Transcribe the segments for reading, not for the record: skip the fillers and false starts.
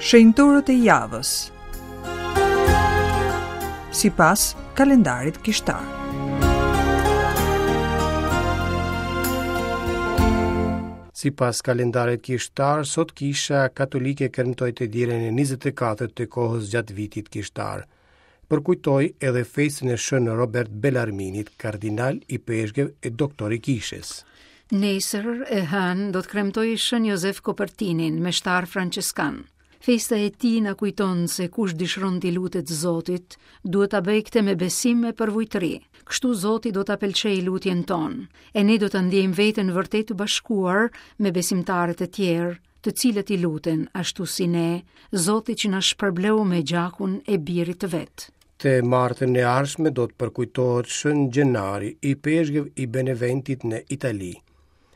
Shenjtorët e javës. Sipas kalendarit kishtar. Sipas kalendarit kishtar, sot kisha katolike kremtoi të dielën e 24 të kohës gjatë vitit kishtar. Përkujtoi edhe festën e Shën Robert Belarminit, kardinal ipeshkëv e doktor i kishës. Nesër e hënë do të kremtojë Shën Jozef Kopertinin, meshtar françeskan. Festa e tij na kujton se kush dëshiron t'i lutet Zotit, duhet ta bëjë këtë me besim e përvujtëri. Kështu Zoti do ta pëlqejë lutjen tonë, e ne do ta ndjejmë veten vërtet të bashkuar me besimtarët e tjerë, të cilët i luten, ashtu si ne, Zotit që na shpërbleu me gjakun e birit të vet. Të martën e ardhshme do të përkujtohet Shën Gjenari, ipeshkëv i Beneventit në Itali.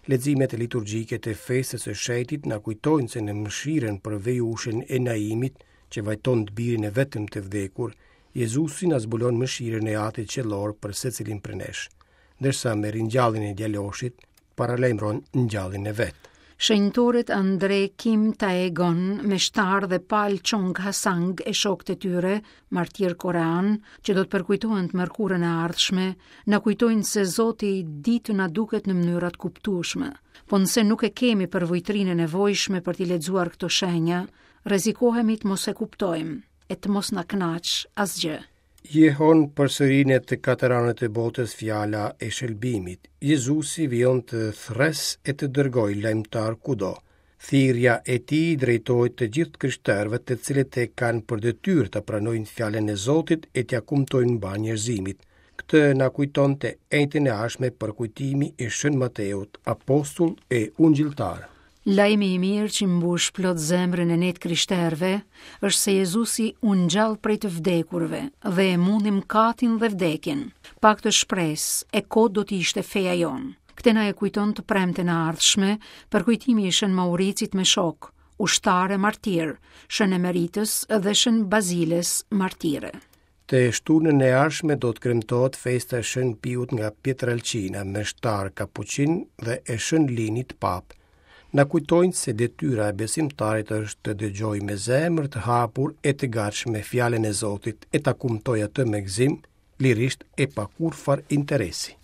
Leximet liturgjike të festës së shenjtit na kujtojnë se në mëshirën për vejushën e Naimit, që vajton të birin e vetëm të vdekur, Jezusi na zbulon mëshirën e Atit Qiellor për secilin prej nesh, ndërsa me ringjalljen e djaloshit, paralajmëron ngjalljen e vet. Shenjtorët Andre Kim Taegon, meshtar dhe Paul Chong Hasang e shokët e tyre, martirë koreanë, që do të përkujtohen të mërkurën e ardhshme, na kujtojnë se Zoti di të na duket në mënyra të kuptueshme. Po nëse nuk e kemi përvujtërinë e nevojshme për t'i lexuar këto shenja, rrezikohemi të mos e kuptojmë e të mos na kënaqë asgjë. Jehon përsëri në të katër anët e botës fjala e shëlbimit. Jezusi vijon të thërrasë e të dërgojë lajmëtarë kudo. Thirrja e tij drejtohet të gjithë të krishterëve të cilët e kanë për detyrë ta pranojnë fjalën e Zotit e t'ia kumtojnë mbarë njerëzimit. Këtë na kujton të enjten e ardhshme përkujtimi i Shën Mateut, apostull e ungjilltar. Lajmi i mirë që mbush plot zemrën e ne të krishterëve është se Jezusi u ngjall prej të vdekurve dhe e mundi mëkatin dhe vdekjen. Pa këtë shpresë, e kotë do të ishte feja jonë. Këtë na e kujton të premten e ardhshme përkujtimi i Shën Mauricit me shokë, ushtar e martir, Shën Emeritës dhe Shën Baziles martire. Të shtunën e ardhshme do të kremtohet festa e Shën Piut nga Pietralcina, meshtar kapuçin dhe e Shën Linit Papë. Na kujtojnë se detyra e besimtarit është të dëgjojë me zemër të hapur e të gatshme fjalën e Zotit e ta kumtojë atë me gëzim, lirisht e pa kurrfarë interesi.